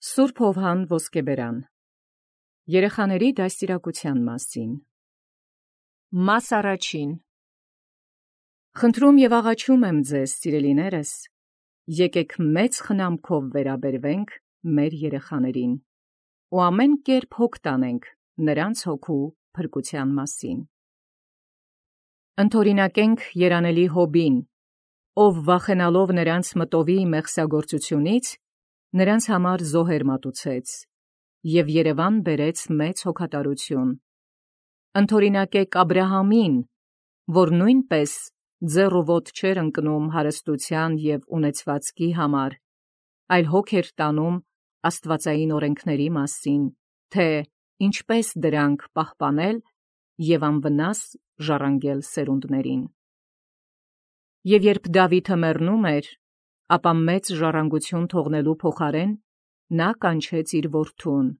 Սուրբ Հովհան Ոսկեբերան Երեխաների դաստիարակության մասին Մաս առաջին Խնդրում և աղաչում եմ ձեզ, սիրելիներս, եկեք մեծ խնամքով վերաբերվենք մեր երեխաներին ու ամեն կերպ հոգ տանենք նրանց հոգու փրկության մասին։ Ընթորինակենք երանելի Հոբին, ով վախենալով նրանց մտովի մեղսագործությունից, նրանց համար զոհեր մատուցեց և Երևան բերեց մեծ հոգատարություն։ Ընթորինակեք Աբրահամին, որ նույնպես ձեռ ու ոտք չէր ընկնում հարստության և ունեցվածքի համար, այլ հոգ էր տանում աստվածային օրենքների մասին, թե ինչպես դրանք պահպանել և անվնաս ժառանգել սերունդներին։ Եվ երբ Դավիթը մեռնում էր, ապա մեծ ժառանգություն թողնելու փոխարեն նա կանչեց իր որդուն,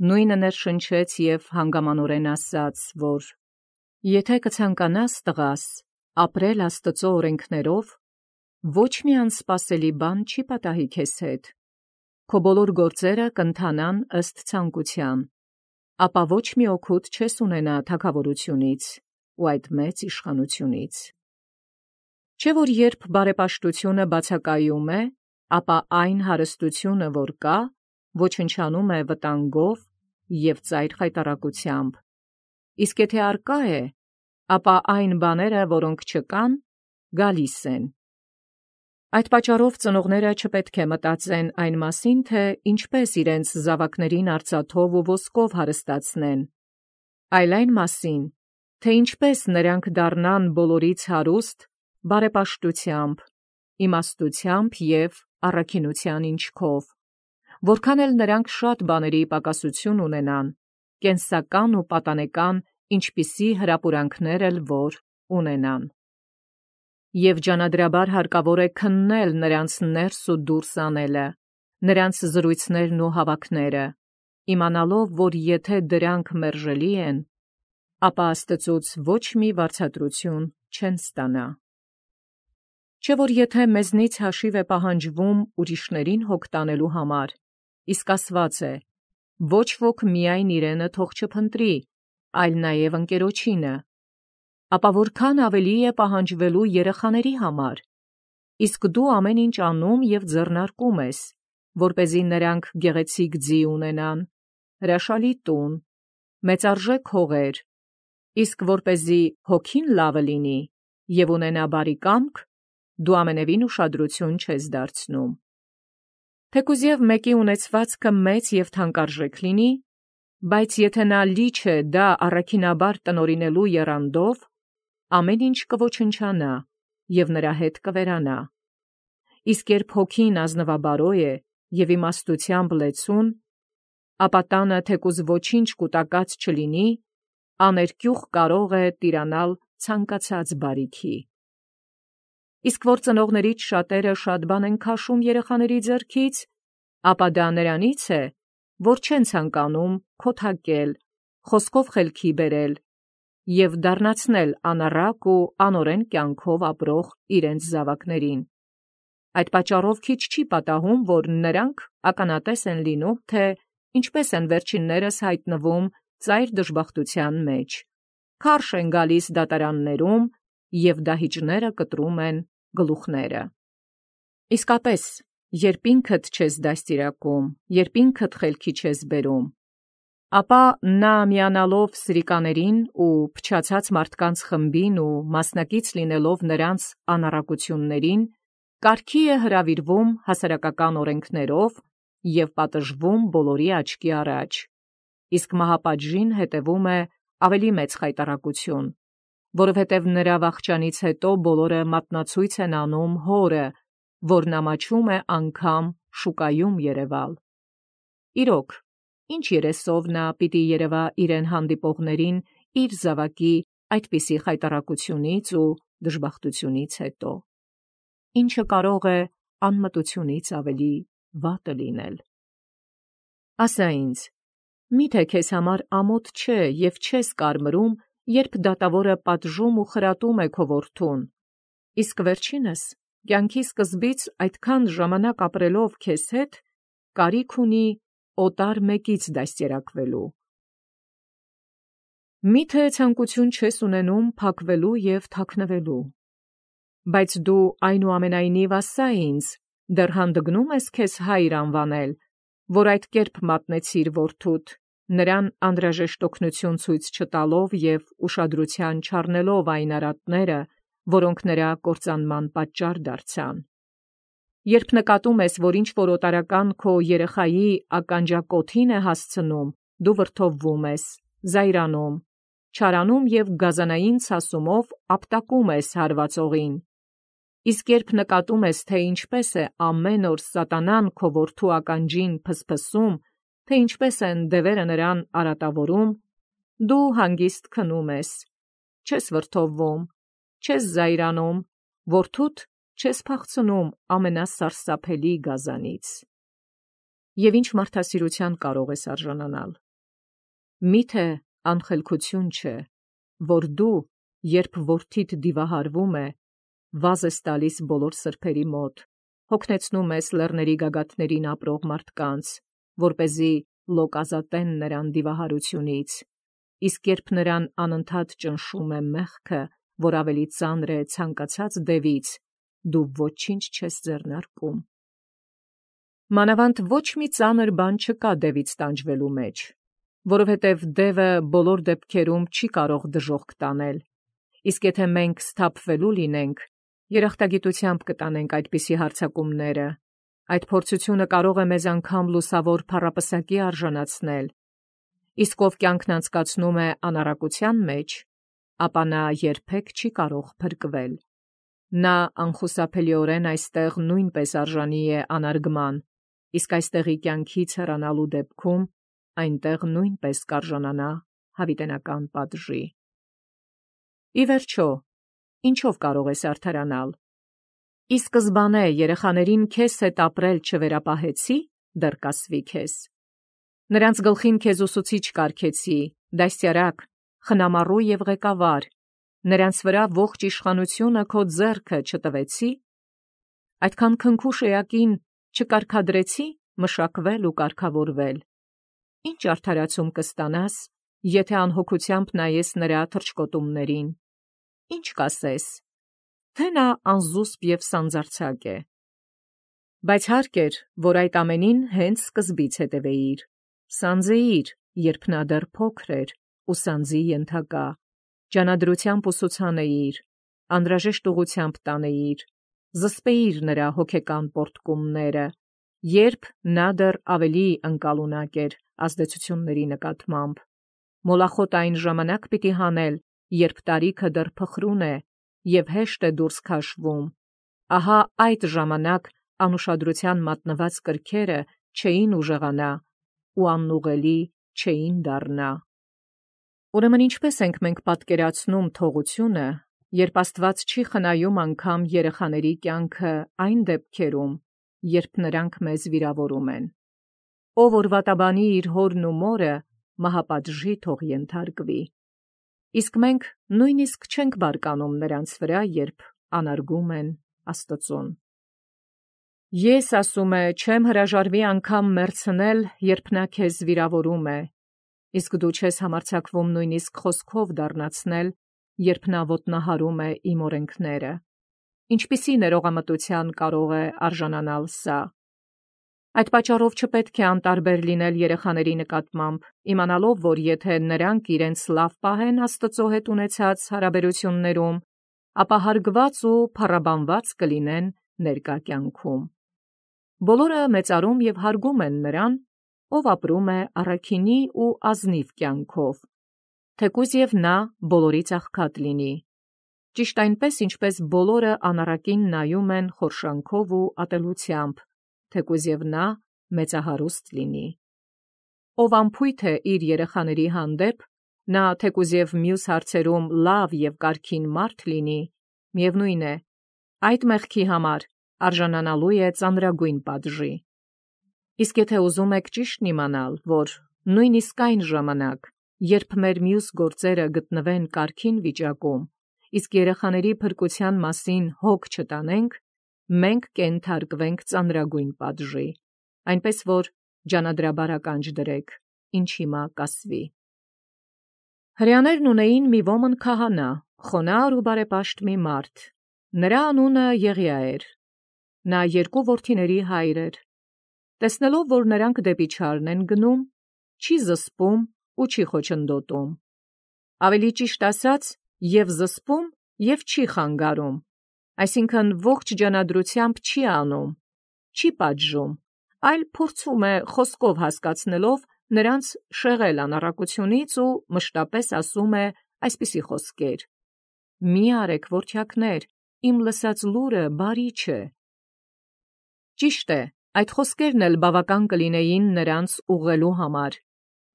նույնը ներշնչեց և հանգամանորեն ասաց, որ «Եթե կցանկանաս, տղաս, ապրել Աստծո օրենքներով, ոչ մի անսպասելի բան չի պատահի քեզ հետ, քո բոլոր գործերը կընթանան ըստ ցանկության, ապա ոչ մի օգուտ չես ունենա թագավորությունից ու այդ մեծ իշխանությունից։ Չէ՞ որ երբ բարեպաշտությունը բացակայում է, ապա այն հարստությունը, որ կա, ոչնչանում է վտանգով և ծայր խայտառակությամբ, իսկ եթե առկա է, ապա այն բաները, որոնք չկան, գալիս են։ Այդ պատճառով ծնողները չպետք է մտածեն այն մասին, թե ինչպես իրենց զավակներին արծաթով ու ոսկով հարստացնեն, այլ այն մասին, թե ինչպես նրանք դառնան բոլորից հարուստ բարեպաշտությամբ, իմաստությամբ և առաքինության ինչքով, որքան էլ նրանք շատ բաների պակասություն ունենան, կենսական ու պատանեկան ինչպիսի հրապուրանքներ էլ որ ունենան։ Եվ ջանադրաբար հարկավոր է քննել նրանց ներս ու դուրս անելը, նրանց զրույցներն ու հավաքները, իմանալով, որ եթե դրանք մերժելի են, ապա Աստծուց ոչ մի վարձատրություն չեն ստանա։ Չէ՞ որ եթե մեզնից հաշիվ է պահանջվում ուրիշներին հոգ տանելու համար, իսկ ասված է. «Ոչ ոք միայն իրենը թող չփնտրի, այլ նաև ընկերոջինը», ապա որքան ավելի է պահանջվելու երեխաների համար, իսկ դու ամեն ինչ անում և ձեռնարկում ես, որպեսզի նրանք գեղեցիկ ձի ունենան, հրաշալի տուն, մեծարժեք հողեր, իսկ որպեսզի հոգին լավը լինի և ունենա բարի կամք, դու ամենևին ուշադրություն չես դարձնում։ Թեկուզ և մեկի ունեցվածքը մեծ և թանկարժեք լինի, բայց եթե նա լիչ է դա առաքինաբար տնօրինելու եռանդով, ամեն ինչ կոչնչանա և նրա հետ կվերանա։ Իսկ երբ հոգին ազնվաբարո է և իմաստությամբ լեցուն, ապա տանը թեկուզ ոչինչ կուտակած չլինի, աներկյուղ կարող է տիրանալ ցանկացած բարիքի։ Իսկ որ ծնողներից շատերը շատ բան են քաշում երեխաների ձեռքից, ապա դա նրանից է, որ չեն ցանկանում քոթակել, խոսքով խելքի բերել և դառնացնել անառակ ու անօրեն կյանքով ապրող իրենց զավակներին։ Այդ պատճառով քիչ չի պատահում, որ նրանք ականատես են լինում, թե ինչպես են վերջիններս հայտնվում ծայր դժբախտության մեջ, քարշ են գալիս դատարաններում և դահիճները կտրում են գլուխները։ Իսկապես, երբ ինքդ չես դաստիարակում, երբ ինքդ խելքի չես բերում, ապա նա միանալով սրիկաներին ու փչացած մարդկանց խմբին ու մասնակից լինելով նրանց անառակություններին, կարգի է հրավիրվում հասարակական օրենքներով և պատժվում բոլորի աչքի առաջ, իսկ մահապատժին հետևում է ավելի մեծ խայտառակություն, որովհետև նրա վախճանից հետո բոլորը մատնացույց են անում հորը, որն ամաչում է անգամ շուկայում երևալ։ Իրոք, ինչ երեսով նա պիտի երևա իրեն հանդիպողներին իր զավակի այդպիսի խայտառակությունից ու դժբախտությունից հետո։ Ինչը կարող է անմտությունից ավելի վատը լինել։ Ասա ինձ, միթե քեզ համար ամոթ չէ և չես կարմրում, երբ դատավորը պատժում ու խրատում է քո որդուն, իսկ վերջինս, կյանքի սկզբից այդքան ժամանակ ապրելով քեզ հետ, կարիք ունի օտար մեկից դաստիարակվելու։ Միթե ցանկություն չես ունենում փակվելու և թաքնվելու, բայց դու այնուամենայնիվ ասա ինձ, դեռ հանդգնում ես քեզ հայր անվանել, որ այդ կերպ մատնեցիր որդուդ, նրան անհրաժեշտ օգնություն ցույց չտալով և ուշադրության չառնելով այն արատները, որոնք նրա կործանման պատճառ դարձան։ Երբ նկատում ես, որ ինչ-որ օտարական քո երեխայի ականջակոթին է հասցնում, դու վրդովվում ես, զայրանում, չարանում և գազանային ցասումով ապտակում ես հարվածողին։ Իսկ երբ նկատում ես, թե ինչպես է ամեն օր սատանան քո որդու ականջին փսփսում, թե ինչպես են դևերը նրան արատավորում, դու հանգիստ քնում ես, չես վրդովվում, չես զայրանում, որդուդ չես փախցնում ամենասարսափելի գազանից։ Եվ ինչ մարդասիրության կարող ես արժանանալ։ Միթե անխելքություն չէ, որ դու, երբ որդիդ դիվահարվում է, վազ ես տալիս բոլոր սրբերի մոտ, հոգնեցնում ես լեռների գագաթներին ապրող մարդկանց, որպեսզի լոկ ազատեն նրան դիվահարությունից, իսկ երբ նրան անընդհատ ճնշում է մեղքը, որ ավելի ծանր է ցանկացած դևից, դու ոչինչ չես ձեռնարկում։ Մանավանդ ոչ մի ծանր բան չկա դևից տանջվելու մեջ, որովհետև դևը բոլոր դեպքերում չի կարող դժոխք տանել, իսկ եթե մենք սթափվելու լինենք, երախտագիտությամբ կտանենք այդպիսի հարձակումները, այդ փորձությունը կարող է մեզ անգամ լուսավոր փառապսակի արժանացնել, իսկ ով կյանքն անցկացնում է անառակության մեջ, ապա նա երբեք չի կարող փրկվել։ Նա անխուսափելիորեն այստեղ նույնպես արժանի է անարգման, իսկ այստեղի կյանքից հեռանալու դեպքում այնտեղ նույնպես կարժանանա հավիտենական պատժի։ Ի վերջո, ինչով կարող ես արդարանալ։ Ի սկզբանե երեխաներին քեզ հետ ապրել չվերապահեցի, դեռ կասվի քեզ։ Նրանց գլխին քեզ ուսուցիչ կարգեցի, դաստիարակ, խնամառու և ղեկավար, նրանց վրա ողջ իշխանությունը քո ձեռքը չտվեցի։ Այդքան քնքուշ էակին չկարգադրեցի մշակվել ու կարգավորվել։ Ինչ արդարացում կստանաս, եթե անհոգությամբ նայես նրա թռչկոտումներին։ Ինչ կասես, թե նա անզուսպ և սանձարձակ է։ Բայց հարկ էր, որ այդ ամենին հենց սկզբից հետևեիր, սանձեիր, երբ նա դեռ փոքր էր ու սանձի ենթակա, ջանադրությամբ ուսուցանեիր, անհրաժեշտ ուղղությամբ տանեիր, զսպեիր նրա հոգեկան պոռթկումները, երբ նա դեռ ավելի ընկալունակ էր ազդեցությունների նկատմամբ։ Մոլախոտ այն ժամանակ պիտի հանել, երբ տարիքը դեռ փխրուն է և հեշտ է դուրս քաշվում։ Ահա այդ ժամանակ անուշադրության մատնված կրքերը չէին ուժեղանա ու անուղղելի չէին դառնա։ Ուրեմն ինչպես ենք մենք պատկերացնում թողությունը, երբ Աստված չի խնայում անգամ երեխաների կյանքը այն դեպքերում, երբ նրանք մեզ վիրավորում են։ Ով որ վատաբանի իր հորն ու մորը, մահապատժի թող ենթարկվի։ Իսկ մենք նույնիսկ չենք բարկանում նրանց վրա, երբ անարգում են Աստծուն։ Ես, ասում է, չեմ հրաժարվի անգամ մեռցնել, երբ նա քեզ վիրավորում է, իսկ դու չես համարձակվում նույնիսկ խոսքով դառնացնել, երբ նա ոտնահարում է իմ օրենքները։ Ինչպիսի ներողամտության կարող է արժանանալ սա։ Այդ պատճառով չպետք է անտարբեր լինել երեխաների նկատմամբ, իմանալով, որ եթե նրանք իրենց լավ պահեն Աստծո հետ ունեցած հարաբերություններում, ապա հարգված ու փառաբանված կլինեն ներկա կյանքում։ Բոլորը մեծարում և հարգում են նրան, ով ապրում է առաքինի ու ազնիվ կյանքով, թեկուզ և նա բոլորից աղքատ լինի։ Ճիշտ այնպես, ինչպես բոլորը անառակին նայում են խորշանքով ու ատելությամբ, թեկուզ և նա մեծահարուստ լինի։ Ով անփույթ է իր երեխաների հանդեպ, նա թեկուզ և մյուս հարցերում լավ և կարգին մարդ լինի, միևնույն է, այդ մեղքի համար արժանանալու է ծանրագույն պատժի։ Իսկ եթե ուզում եք ճիշտն իմանալ, որ նույնիսկ այն ժամանակ, երբ մեր մյուս գործերը գտնվեն կարգին վիճակում, իսկ երեխաների փրկության մասին հոգ չտանենք, մենք կենթարկվենք ծանրագույն պատժի, այնպես որ ջանադրաբար ականջ դրեք, ինչ հիմա կասվի։ Հրեաներն ունեին մի ոմն քահանա, խոնարհ ու բարեպաշտ մի մարդ, նրա անունը Եղիա էր, նա երկու որդիների հայր էր, տեսնելով, որ նրանք դեպի չարն են գնում, չի զսպում ու չի խոչընդոտում, ավելի ճիշտ ասած, և զսպում, և չի խանգարում, այսինքն ողջ ջանադրությամբ չի անում, չի պատժում, այլ փորձում է խոսքով հասկացնելով նրանց շեղել անառակությունից ու մշտապես ասում է այսպիսի խոսքեր. «Մի արեք, որդյակներ, իմ լսած լուրը բարի չէ»։ Ճիշտ է, այդ խոսքերն էլ բավական կլինեին նրանց ուղղելու համար,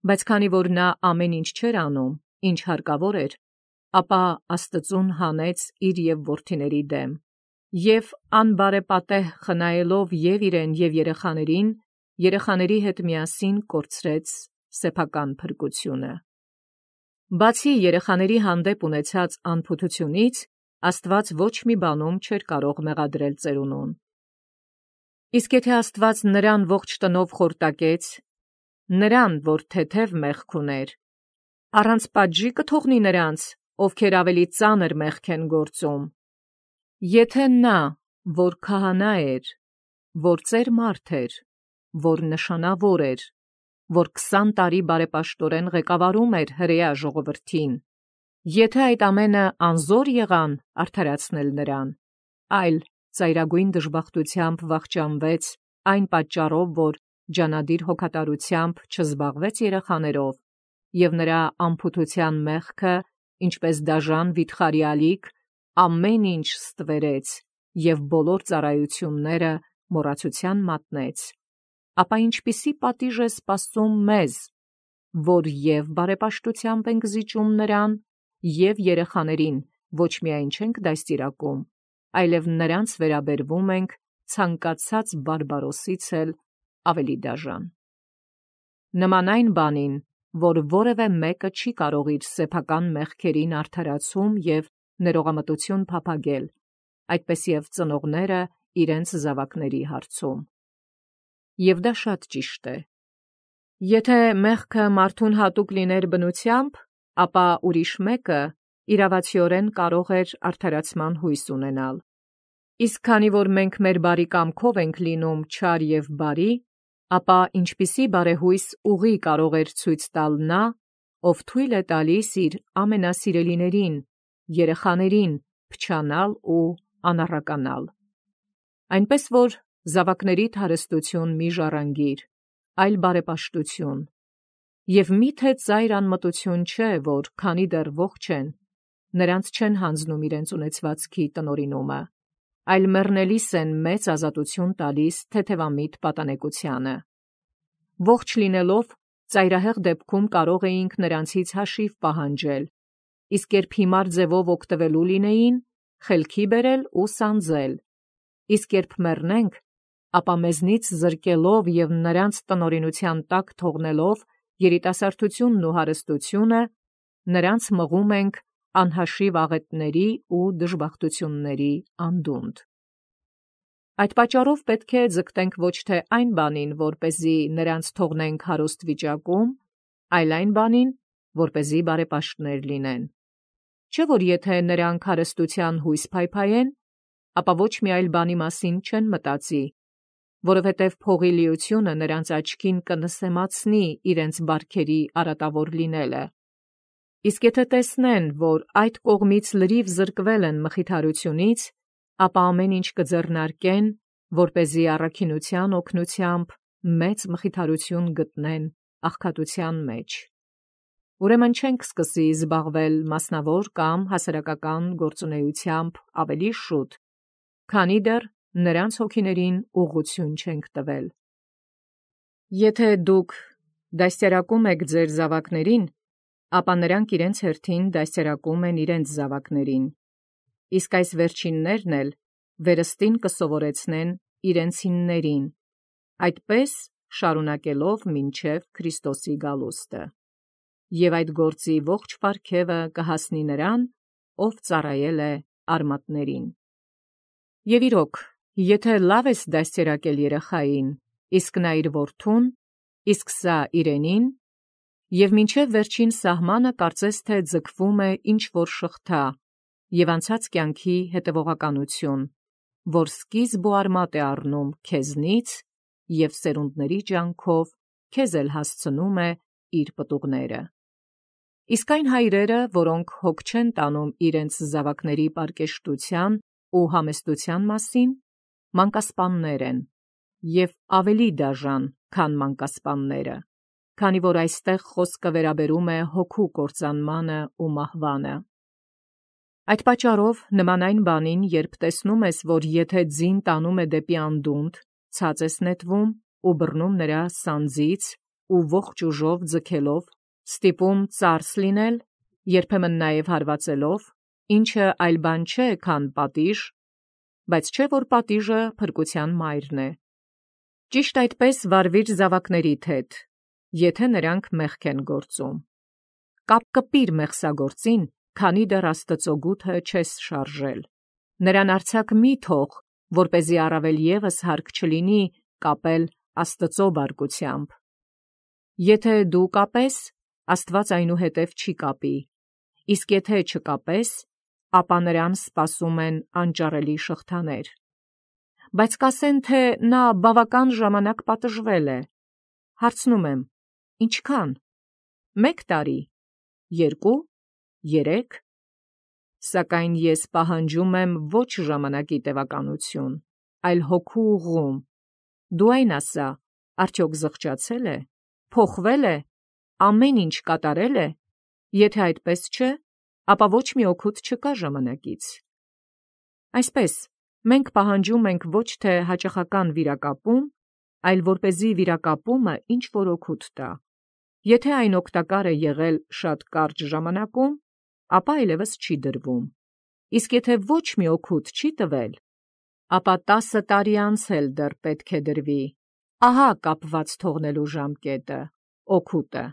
բայց քանի որ նա ամեն ինչ չէր անում, ինչ հարկավոր էր, ապա Աստծուն հանեց իր և որդիների դեմ, և անբարեպատեհ խնայելով և իրեն և երեխաների հետ միասին կորցրեց սեփական փրկությունը։ Բացի երեխաների հանդեպ ունեցած անփութությունից, Աստված ոչ մի բանում չէր կարող մեղադրել ծերունուն։ Իսկ եթե Աստված նրան ողջ տնով խորտակեց, նրան, որ թեթև մեղք ուներ, առանց պատժի կթողնի նրանց, ովքեր ավելի ծանր մեղք են գործում։ Եթե նա, որ քահանա էր, որ ծեր մարդ էր, որ նշանավոր էր, որ 20 տարի բարեպաշտորեն ղեկավարում էր հրեա ժողովրդին, եթե այդ ամենը անզոր եղան արդարացնել նրան, այլ ծայրագույն դժբախտությամբ վախճանվեց այն պատճառով, որ ջանադիր հոգատարությամբ չզբաղվեց երեխաներով, և նրա անփութության մեղքը, ինչպես դաժան վիթխարի ամեն ինչ ստվերեց և բոլոր ծառայությունները մոռացության մատնեց, ապա ինչպիսի պատիժ է սպասում մեզ, որ և բարեպաշտությամբ ենք զիջում նրան, և երեխաներին ոչ միայն չենք դաստիարակում, այլև նրանց վերաբերվում ենք ցանկացած բարբարոսից էլ ավելի դաժան։ Նման այն բանին, որ որևէ մեկը չի կարող իր սեփական մեղքերին արդարացում և ներողամտություն փափագել, այդպես և ծնողները իրենց զավակների հարցում։ Եվ դա շատ ճիշտ է։ Եթե մեղքը մարդուն հատուկ լիներ բնությամբ, ապա ուրիշ մեկը իրավացիորեն կարող էր արդարացման հույս ունենալ։ Իսկ քանի որ մենք մեր բարի կամքով ենք լինում չար և բարի, ապա ինչպիսի բարեհույս ուղի կարող էր ցույց տալ նա, ով թույլ է տալիս իր ամենասիրելիներին, երեխաներին փչանալ ու անառականալ։ Այնպես որ զավակներիդ հարստություն մի ժառանգիր, այլ բարեպաշտություն, և միթե ծայր անմտություն չէ, որ քանի դեռ ողջ են, նրանց չեն հանձնում իրենց ունեցվածքի տնօրինումը, այլ մեռնելիս են մեծ ազատություն տալիս թեթևամիտ պատանեկությանը։ Ողջ լինելով, ծայրահեղ դեպքում կարող էինք նրանցից հաշիվ պահանջել, իսկ երբ հիմար ձևով օգտվելու լինեին, խելքի բերել ու սանձել, իսկ երբ մեռնենք, ապա մեզնից զրկելով և նրանց տնօրինության տակ թողնելով երիտասարդությունն ու հարստությունը, նրանց մղում ենք անհաշիվ աղետների ու դժբախտությունների անդունդ։ Այդ պատճառով պետք է ձգտենք ոչ թե այն բանին, որպեսզի նրանց թողնենք հարուստ վիճակում, այլ այն բանին, որպեսզի բարեպաշտներ լինեն։ Չէ՞ որ եթե նրանք հարստության հույս փայփայեն, ապա ոչ մի այլ բանի մասին չեն մտածի, որովհետև փողի լիությունը նրանց աչքին կնսեմացնի իրենց բարքերի արատավոր լինելը։ Իսկ եթե տեսնեն, որ այդ կողմից լրիվ զրկվել են մխիթարությունից, ապա ամեն ինչ կձեռնարկեն, որպեսզի առաքինության օգնությամբ մեծ մխիթարություն գտնեն աղքատության մեջ։ Ուրեմն չենք սկսի զբաղվել մասնավոր կամ հասարակական գործունեությամբ ավելի շուտ, քանի դեռ նրանց հոգիներին ուղղություն չենք տվել։ Եթե դուք դաստիարակում եք ձեր զավակներին, ապա նրանք իրենց հերթին դաստիարակում են իրենց զավակներին, իսկ այս վերջիններն էլ վերստին կսովորեցնեն իրենցիններին, այդպես շարունակելով մինչև Քրիստոսի գալուստը։ Եվ այդ գործի ողջ պարգևը կհասնի նրան, ով ծառայել է արմատներին։ Եվ իրոք, եթե լավ ես դաստիարակել երեխային, իսկ նա իր որդուն, իսկ սա իրենին, և մինչև վերջին սահմանը կարծես թե ձգվում է ինչ-որ շղթա և անցած կյանքի հետևողականություն, որ սկիզբ ու արմատ է առնում քեզնից և սերունդների ջանքով քեզ էլ հասցնում է իր պտուղները։ Իսկ այն հայրերը, որոնք հոգ չեն տանում իրենց զավակների պարկեշտության ու համեստության մասին, մանկասպաններ են, և ավելի դաժան, քան մանկասպանները, քանի որ այստեղ խոսքը վերաբերում է հոգու կործանմանը ու մահվանը։ Այդ պատճառով, նման այն բանին, երբ տեսնում ես, որ եթե ձին տանում է դեպի անդունդ, ցած ես նետվում ու բռնում նրա սանձից ու ողջ ուժով ձգելով, ստիպում ծարս լինել, երբեմն նաև հարվածելով, ինչը այլ բան չէ, քան պատիժ, բայց չէ, որ պատիժը փրկության մայրն է։ Ճիշտ այդպես վարվիր զավակներիդ հետ, եթե նրանք մեղք են գործում։ Կապ կպիր մեղսագործին, քանի դեռ Աստծո գութը չես շարժել։ Նրան արձակ մի թող, որպեսզի առավել ևս հարկ չլինի կապել Աստծո բարկությամբ։ Եթե դու կապես, Աստված այնուհետև չի կապի, իսկ եթե չկապես, ապա նրան սպասում են անճարելի շղթաներ։ Բայց կասեն, թե նա բավական ժամանակ պատժվել է։ Հարցնում եմ. ինչքան։ 1 տարի, 2, 3։ Սակայն ես պահանջում եմ ոչ ժամանակի տևականություն, այլ հոգու ուղղում։ Դու այն ասա, արդյոք զղջացել է, փոխվել է, ամեն ինչ կատարել է։ Եթե այդպես չէ, ապա ոչ մի օգուտ չկա ժամանակից։ Այսպես, մենք պահանջում ենք ոչ թե հաճախական վիրակապում, այլ որպեսզի վիրակապումը ինչ-որ օգուտ տա։ Եթե այն օգտակար է եղել շատ կարճ ժամանակում, ապա այլևս չի դրվում։ Իսկ եթե ոչ մի օգուտ չի տվել, ապա 10 տարի անց էլ դեռ պետք է դրվի։ Ահա կապված թողնելու ժամկետը, օգուտը։